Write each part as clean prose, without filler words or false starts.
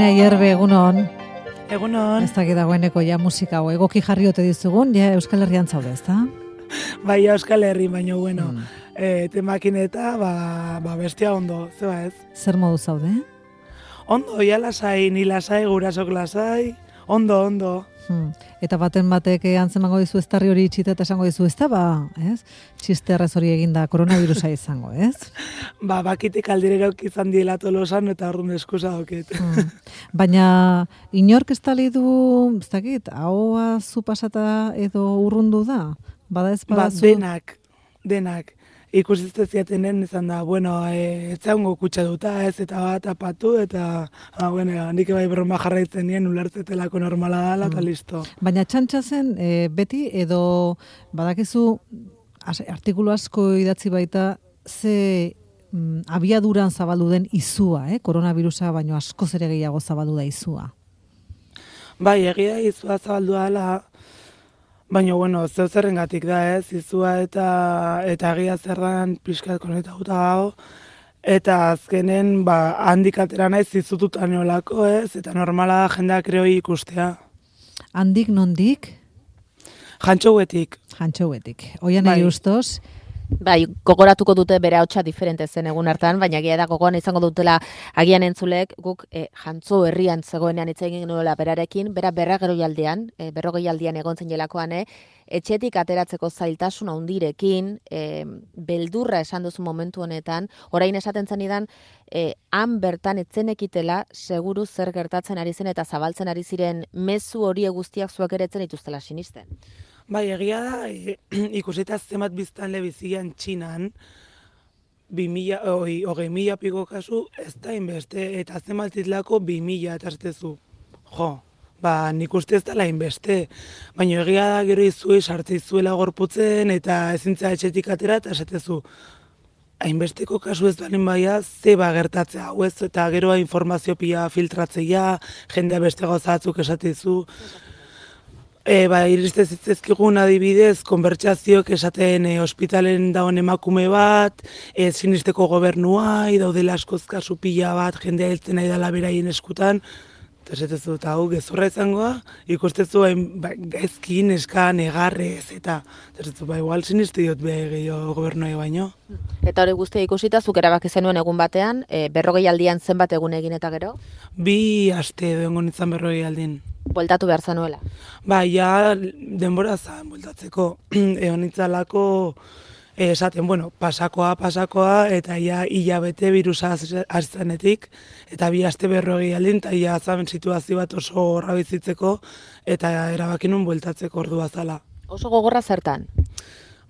Irene Ayerbe, egunon. Egunon. Ez dakit dagoeneko ja musika hau egoki jarri ote dizugun, ja Euskal Herrian zaude, ezta? Bai, Euskal Herri, baina bueno, temakin eta bestia ondo, zeba ez? Zer modu zaude? Ondo, ja lasai, ni lasai, gurasok lasai, ondo. Eta baten batek antzemango dizu eztarri hori itxita eta esango dizu, ez da, ez? Txisterrez hori eginda koronavirusa izango, ez? Bakitek aldirerok izan diela tolosan eta orduan eskusa doket. Baina inork ez tali du, ez dakit, ahoa zu pasata edo urrundu da? Bada ez badazu? Denak. Ikusizte ziatenen izan da, ez zaungo kutsa duta, ez, eta bat apatu, eta, nik bai broma jarraitzen nien, ulertzetelako normala dala, eta listo. Baina txantxa zen, beti, edo badakizu, artikulu asko idatzi baita, ze abiaduran zabaldu den izua, koronavirusa, baino askoz ere gehiago zabaldu da izua. Bai, egia izua zabaldu dala, baina, zeu zerrengatik da, ez, izua eta egia zerran pixkat konetauta gau, eta azkenen, handik atera naiz izututan olako, ez, eta normala da jendeak kreoi ikustea. Handik nondik? Jantxouetik. Oian egi ustoz? Bai, gogoratuko dute bere hautsa diferente zen egun hartan, baina egia da gogoan izango dutela agian entzulek, guk Jantzo herrian zegoenean hitz egin nuela berarekin, berrogeialdian egon zen jelakoan, etxetik ateratzeko zailtasun handirekin, beldurra esan duzu momentu honetan, orain esaten zenidan, han bertan etzenekitela seguru zer gertatzen ari zen eta zabaltzen ari ziren mezu hori guztiak zuek ere etzen dituztela sinisten. Bai, egia da, ikusita zenbat biztanle bizian Txinan, 20.000 piko kasu, ez da inbeste, eta zenbat zitlako 2.000 eta aztezu. Nik uste ez dela inbeste, baina egia da gero izue sartze izuela gorputzen, eta ezintza etxetik atera, eta esatezu. Hainbesteko kasu ez balin baia, zeba gertatzea hau ez, eta gero informazio pila filtratzea, jendea beste gauzatzuk esatezu. Iriste zitzezkigun adibidez, konbertsazioak esaten ospitalen dagoen emakume bat, sinisteko gobernua, daudela askozka kasu pila bat, jendea hiltzen nahi dela beraien eskutan, eta esatezu, eta hau gezurra izangoa, ikustezu gaizkin, eskan, egarrez, eta esatezu, igual siniste diot gehiago gobernuai baino. Eta hori guztia ikusita, zuk erabaki zenuen egun batean, 40aldian zenbat egun egin eta gero? 2 aste edo egon izan 40aldin. Bueltatu behar zanuela? Ja, denbora zan bueltatzeko. Egon itzalako, esaten, pasakoa, eta hilabete virusa aztenetik, eta 2 aste 40aldin, eta ia zaben situazio bat oso horra bizitzeko, eta erabakinun bueltatzeko ordua zala. Oso gogorra zertan?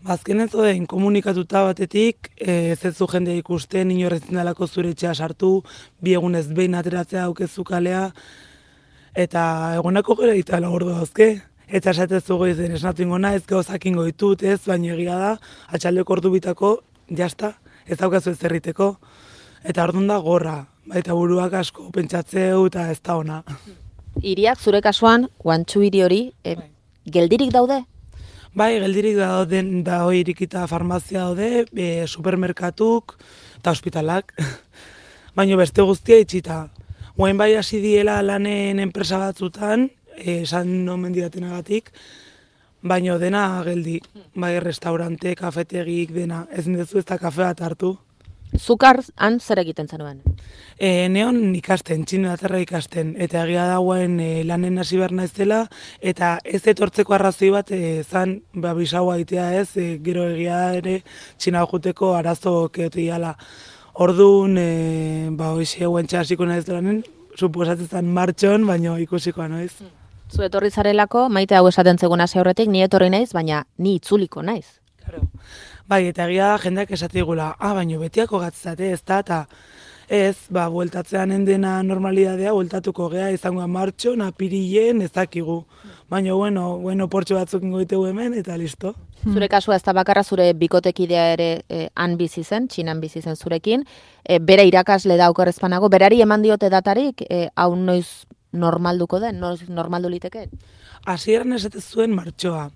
Azkenen zoden, komunikatuta batetik, ez zu jendea ikusten, inorretzen dalako zure etxea sartu, 2 egunez behin ateratzea aukezu kalea, eta egonako gara itala ordu dauzke. Eta esatezu goizen esnatu ingona, ez gauzak ingo ditut, ez, baina egia da, atxaldeko ordu bitako, jazta, ez daukazu ez zerriteko. Eta orduan da gorra, baita buruak asko pentsatzeu eta ez da ona. Hiriak zure kasuan, Guantxu hiri hori, geldirik daude? Bai, geldirik da irikita farmazia daude, supermerkatuk eta ospitalak. Baina beste guztia itxita. Guain bai hasi diela lanen enpresa batzutan, esan nomen didatenagatik, baina dena geldi. Bai, restaurante, kafetegik, dena. Ez nindezu ez da kafe bat hartu. Zukar han zer egiten zenuen? Neon ikasten, txinatarra ikasten, eta egia dagoen lanen hasi behar naizela, eta ez etortzeko arrazoi bat zan bisaua itea ez, gero egia ere txina juteko arazo keotiala. Orduan, hoxe guentxe hasiko naiz lanen, suposatzen martxon, baina ikusikoa noiz. Zu etorri zarelako, maite hau esaten zegoen hasi aurretik, ni etorri naiz, baina ni itzuliko naiz. Claro. Bai, eta egia jendeak esatigula, baina betiako gatzate ez da, eta ez, bueltatzean endena normalidadea, bueltatuko gea, izangoa martxon, apirilen, ez dakigu. Baina, portxo batzuk ingoitegu hemen, eta listo. Zure kasua ez da bakarra, zure bikotekidea ere han bizi zen, Txinan bizi zen zurekin, bera irakasle da okerrezpanago, berari eman diote datarik, hau noiz normalduko den, noiz normaldu liteke? Hasieran esate zuen martxoa.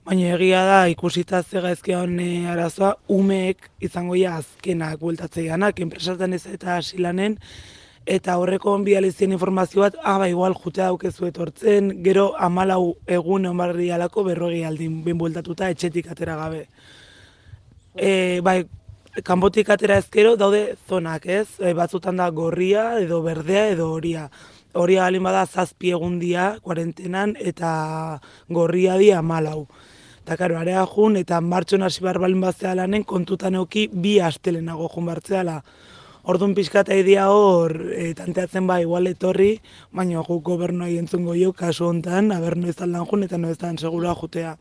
Baina egia da, ikusita zegaizkion arazoa, umeek izango ja azkenak bueltatzeianak, enpresatan ez eta asilanen, eta horreko bializien informazio bat, igual jutea daukezu etortzen, gero 14 egun egon barri alako 40 aldin binbueltatuta etxetik atera gabe. Bai, kanpotik atera ezkero daude zonak, ez? Batzutan da gorria, edo berdea, edo horia. Horia balin bada 7 egun dia, kuarentenan, eta gorria dia 14. Eta karo, area jun, eta martxon hasi behar balin batzea lanen, kontutan euki 2 astelenago jun bartzeala. Orduan pixkata idea hor, tanteatzen igual etorri, baina guk gobernua entzungo jo kasu hontan, aber noiz aldan jun, eta noiz dan segura jutea.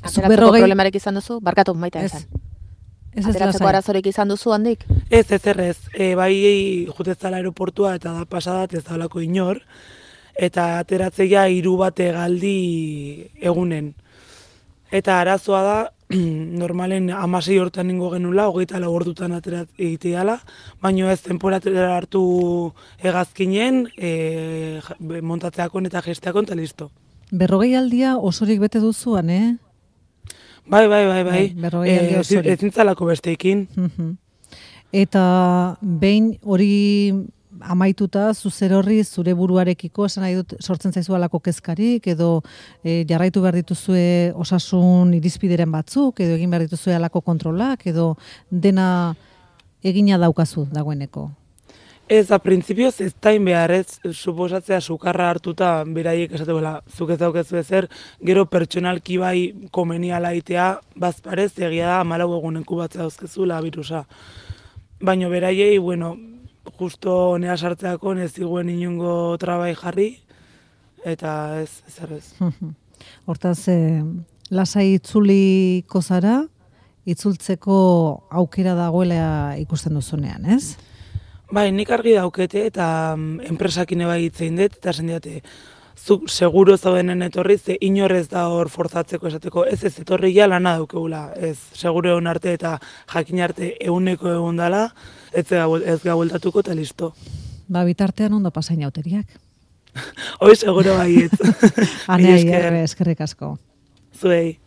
Ateratzeko problemarik izan duzu? Barkatu, maita esan. Ateratzeko arazorik izan duzu handik? Ez. Bai jutezala aeroportua eta da pasadat ez daulako inor, eta ateratzea 3 bat egaldi egunen. Eta arazoa da, normalen 16 hortan ningo genula, 24 ordutan egiteala, baina ez temporatera hartu hegazkinen, montatzeakon eta gesteakon, eta listo. 40 aldia osorik bete duzuan, Bai. 40 aldia osorik. Ezintzalako besteekin. Eta behin hori amaituta, zuzer horri zure buruarekiko, esan nahi dut, sortzen zaizu alako kezkarik, edo jarraitu behar dituzue osasun irizpideren batzuk, edo egin behar dituzue alako kontrolak, edo dena egina daukazu dagoeneko? Ez, a printzipioz ez tain behar, ez, suposatzea sukarra hartuta beraiek esate bela, zuk ez daukezu ezer, gero pertsonalki bai komeniala itea, bazparez egia da 14 egunenku batzea dauzkezula birusa. Baina beraiei, bueno, justo nea sartzeako ez ziguen inungo trabai jarri, eta ez. Hortaz, lasai itzuliko zara, itzultzeko aukera dagoela ikusten duzunean, ez? Bai, nik argi daukete eta enpresakin bai hitzein dut, eta esan diate, zuk seguro zaudenen etorri, ze inorrez da hor forzatzeko esateko, ez etorri ja lana daukegula, ez seguro egon arte eta jakin arte 100% egon dala, ez gabueltatuko eta listo. Ba, bitartean ondo pasain auteriak. Hoi seguro baiet. Anea, eskerrik asko. Zuei.